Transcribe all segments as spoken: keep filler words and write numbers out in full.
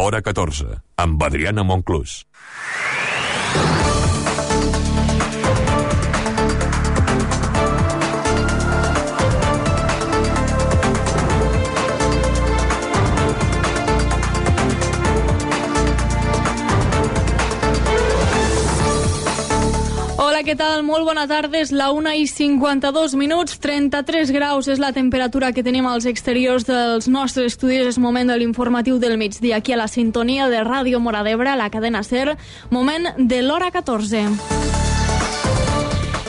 Hora catorze, amb Adriana Monclús. Què tal? Molt bona tarda, és la una i cinquanta-dos minuts, trenta-tres graus és la temperatura que tenim als exteriors dels nostres estudis. És moment de l'informatiu del migdia, aquí a la sintonia de Ràdio Móra d'Ebre, a la cadena SER, moment de l'hora catorze.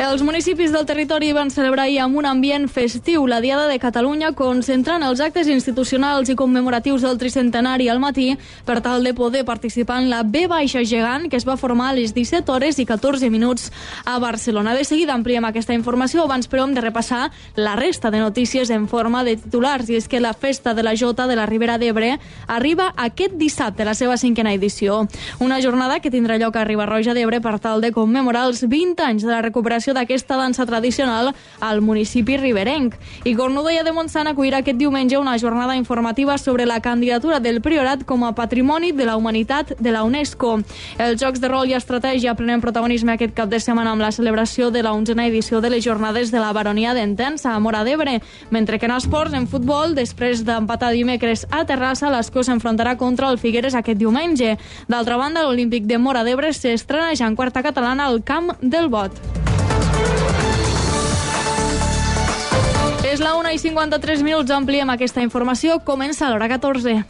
Els municipis del territori van celebrar ahir amb un ambient festiu la Diada de Catalunya, concentrant els actes institucionals i commemoratius del tricentenari al matí per tal de poder participar en la V Baixa Gegant, que es va formar a les disset hores i catorze minuts a Barcelona. De seguida ampliem aquesta informació, abans però hem de repassar la resta de notícies en forma de titulars, i és que la Festa de la Jota de la Ribera d'Ebre arriba aquest dissabte, la seva cinquena edició. Una jornada que tindrà lloc a Riba-roja d'Ebre per tal de commemorar els vint anys de la recuperació d'aquesta dansa tradicional al municipi riberenc. I Cornudella de Montsant acollirà aquest diumenge una jornada informativa sobre la candidatura del Priorat com a Patrimoni de la Humanitat de la UNESCO. Els jocs de rol i estratègia prenen protagonisme aquest cap de setmana amb la celebració de la onzena edició de les jornades de la Baronia d'Entença a Móra d'Ebre, mentre que en esports, en futbol, després d'empatar dimecres a Terrassa, l'Escó s'enfrontarà contra el Figueres aquest diumenge. D'altra banda, l'Olímpic de Móra d'Ebre s'estrena ja en quarta catalana al Camp del Bot. És la una i cinquanta-tres minuts, ampliem aquesta informació, comença a l'hora catorze.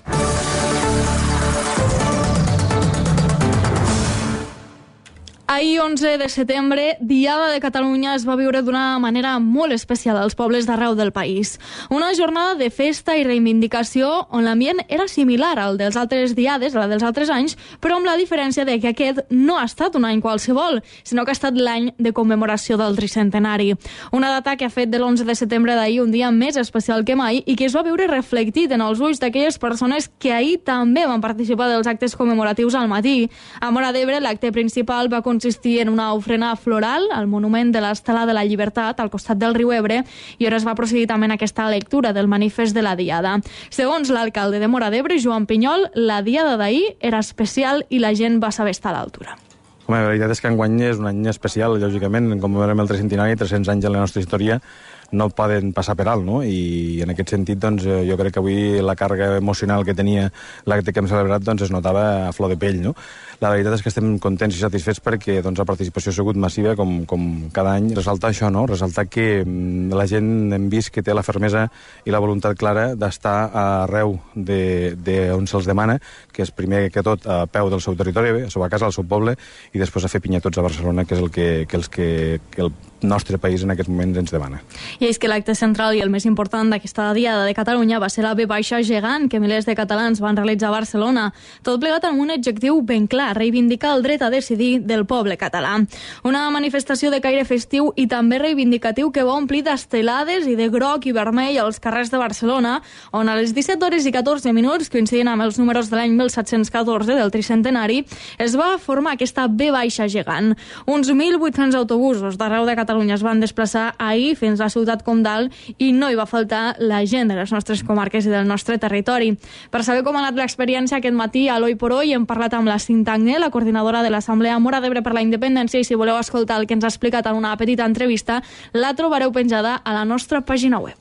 Ahir, onze de setembre, Diada de Catalunya es va viure d'una manera molt especial als pobles d'arreu del país. Una jornada de festa i reivindicació on l'ambient era similar al dels altres diades, la dels altres anys, però amb la diferència de que aquest no ha estat un any qualsevol, sinó que ha estat l'any de commemoració del tricentenari. Una data que ha fet de l'onze de setembre d'ahir un dia més especial que mai i que es va veure reflectit en els ulls d'aquelles persones que ahir també van participar dels actes commemoratius al matí. A Móra d'Ebre, l'acte principal va consistir en una ofrena floral al monument de l'Estela de la Llibertat al costat del riu Ebre, i ara es va procedir també en aquesta lectura del manifest de la Diada. Segons l'alcalde de Móra d'Ebre, Joan Pinyol, la Diada d'ahir era especial i la gent va saber estar a l'altura. Home, la veritat és que enguany és un any especial, lògicament, com veurem el tricentenari, tres-cents anys en la nostra història no poden passar per alt, no? I en aquest sentit, doncs, jo crec que avui la càrrega emocional que tenia l'acte que hem celebrat, doncs, es notava a flor de pell, no? La veritat és que estem contents i satisfets perquè, doncs, la participació ha sigut massiva, com, com cada any. Resaltar això, no? Resaltar que la gent hem vist que té la fermesa i la voluntat clara d'estar arreu de, de on se'ls demana, que és primer que tot a peu del seu territori, a la seva casa, al seu poble, i després a fer pinyatots a Barcelona, que és el que, que, els que, que el nostre país en aquest moment ens demana. I és que l'acte central i el més important d'aquesta Diada de Catalunya va ser la V Baixa Gegant, que milers de catalans van realitzar a Barcelona. Tot plegat amb un objectiu ben clar, reivindicar el dret a decidir del poble català. Una manifestació de caire festiu i també reivindicatiu que va omplir d'estelades i de groc i vermell als carrers de Barcelona, on a les disset hores i catorze minuts, coincidint amb els números de l'any mil set-cents catorze del tricentenari, es va formar aquesta V Baixa Gegant. Uns mil vuit-cents autobusos d'arreu de Catalunya es van desplaçar ahir fins a Ciutat Comtal i no hi va faltar la gent de les nostres comarques i del nostre territori. Per saber com ha anat l'experiència aquest matí a l'Oi por Hoy hem parlat amb la Cinta Agné, la coordinadora de l'Assemblea Móra d'Ebre per la Independència, i si voleu escoltar el que ens ha explicat en una petita entrevista, la trobareu penjada a la nostra pàgina web.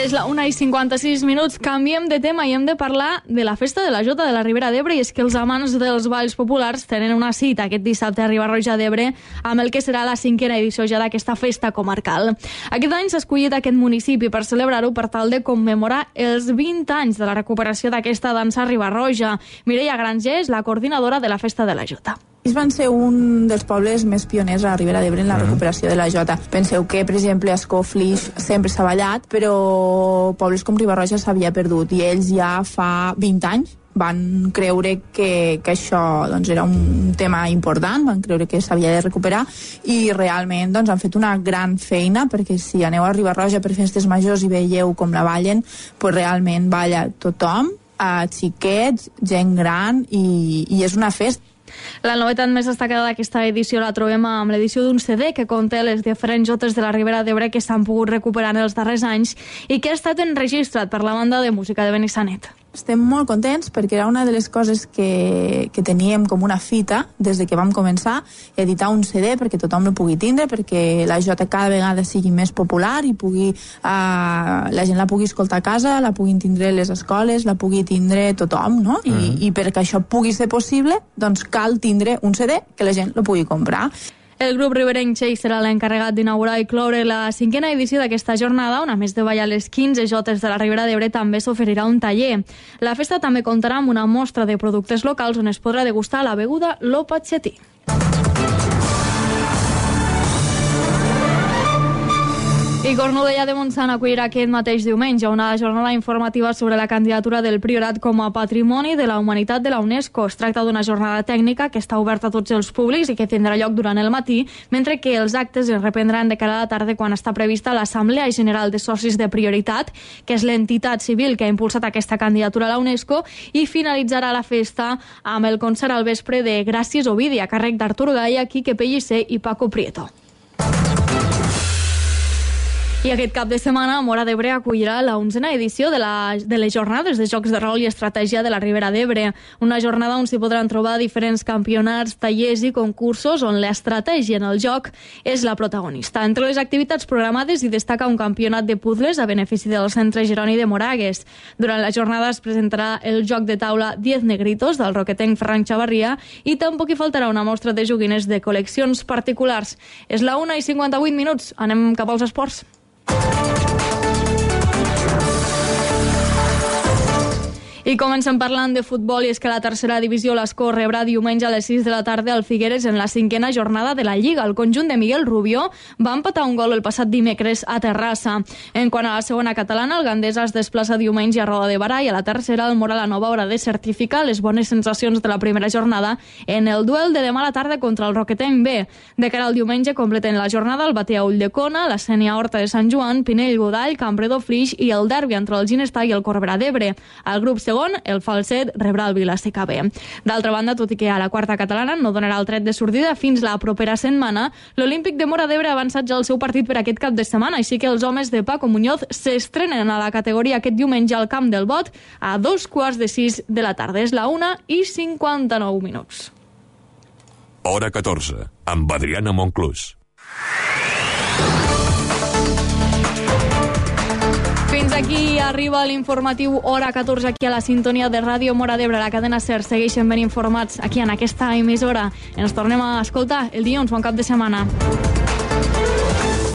És la una i cinquanta-sis minuts, canviem de tema i hem de parlar de la Festa de la Jota de la Ribera d'Ebre, i és que els amants dels balls populars tenen una cita aquest dissabte a Riba-roja d'Ebre amb el que serà la cinquena edició ja d'aquesta festa comarcal. Aquest any s'ha escollit aquest municipi per celebrar-ho per tal de commemorar els vint anys de la recuperació d'aquesta dansa riba-roja. Mireia Granger és la coordinadora de la Festa de la Jota. Ells van ser un dels pobles més pioners a la Ribera d'Ebre en la recuperació de la Jota. Penseu que, per exemple, a Ascó, Flix sempre s'ha ballat, però pobles com Riba-roja s'havia perdut, i ells ja fa vint anys van creure que, que això doncs, era un tema important, van creure que s'havia de recuperar, i realment doncs, han fet una gran feina, perquè si aneu a Riba-roja per festes majors i veieu com la ballen, pues realment balla tothom, a xiquets, gent gran, i, i és una festa. La novetat més destacada d'aquesta edició la trobem amb l'edició d'un C D que conté les diferents jotes de la Ribera d'Ebre que s'han pogut recuperar en els darrers anys i que ha estat enregistrat per la banda de música de Benissanet. Estem molt contents perquè era una de les coses que, que teníem com una fita des de que vam començar, editar un C D perquè tothom el pugui tindre, perquè la jota cada vegada sigui més popular i pugui, eh, la gent la pugui escoltar a casa, la puguin tindre les escoles, la pugui tindre tothom, no? I, mm. i perquè això pugui ser possible, doncs cal tindre un C D que la gent lo pugui comprar. El grup riberenc Xeix serà l'encarregat d'inaugurar i cloure la cinquena edició d'aquesta jornada, on a més de ballar les quinze jotes de la Ribera d'Ebre també s'oferirà un taller. La festa també comptarà amb una mostra de productes locals on es podrà degustar la beguda Lo Patxetí. I Cornudella de Montsant acollirà aquest mateix diumenge una jornada informativa sobre la candidatura del Priorat com a Patrimoni de la Humanitat de la UNESCO. Es tracta d'una jornada tècnica que està oberta a tots els públics i que tindrà lloc durant el matí, mentre que els actes es reprendran de cara a la tarda quan està prevista l'Assemblea General de Socis de Prioritat, que és l'entitat civil que ha impulsat aquesta candidatura a la UNESCO, i finalitzarà la festa amb el concert al vespre de Gràcies Ovidi, a càrrec d'Artur Gaia, Quique Pellicer i Paco Prieto. I aquest cap de setmana, Móra d'Ebre acollirà la onzena edició de, la, de les jornades de Jocs de Rol i Estratègia de la Ribera d'Ebre. Una jornada on s'hi podran trobar diferents campionats, tallers i concursos on l'estratègia en el joc és la protagonista. Entre les activitats programades hi destaca un campionat de puzzles a benefici del Centre Jeroni de Moragues. Durant la jornada es presentarà el joc de taula Diez Negritos del roquetenc Ferran Xavarria i tampoc hi faltarà una mostra de joguines de col·leccions particulars. És la una i cinquanta-vuit minuts. Anem cap als esports. I comencem parlant de futbol, i és que la tercera divisió l'Escó rebrà diumenge a les sis de la tarda al Figueres en la cinquena jornada de la Lliga. El conjunt de Miguel Rubió va empatar un gol el passat dimecres a Terrassa. En quant a la segona catalana, el Gandesa es desplaça diumenge a Roda de Barà i a la tercera el Mora la Nova haurà de certificar les bones sensacions de la primera jornada en el duel de demà a la tarda contra el Roquetenc B. De cara al diumenge completen la jornada el Batea Ulldecona, la Sénia Horta de Sant Joan, Pinell Godall, Campredó Flix i el derbi entre el Ginestar i el Corberà d'Ebre. El grup segon, el Falset, rebrà el Vila-seca B. D'altra banda, tot i que a la quarta catalana no donarà el tret de sortida fins la propera setmana, l'Olímpic de Móra d'Ebre ha avançat ja el seu partit per aquest cap de setmana, així que els homes de Paco Muñoz s'estrenen a la categoria aquest diumenge al Camp del Bot a dos quarts de sis de la tarda. És la una i cinquanta-nou minuts. Hora catorze, amb Adriana Monclús. Fins aquí arriba l'informatiu Hora catorze aquí a la sintonia de Ràdio Móra d'Ebre, la cadena SER. Segueixen ben informats aquí en aquesta emissora. Ens tornem a escoltar el dilluns. Bon cap de setmana.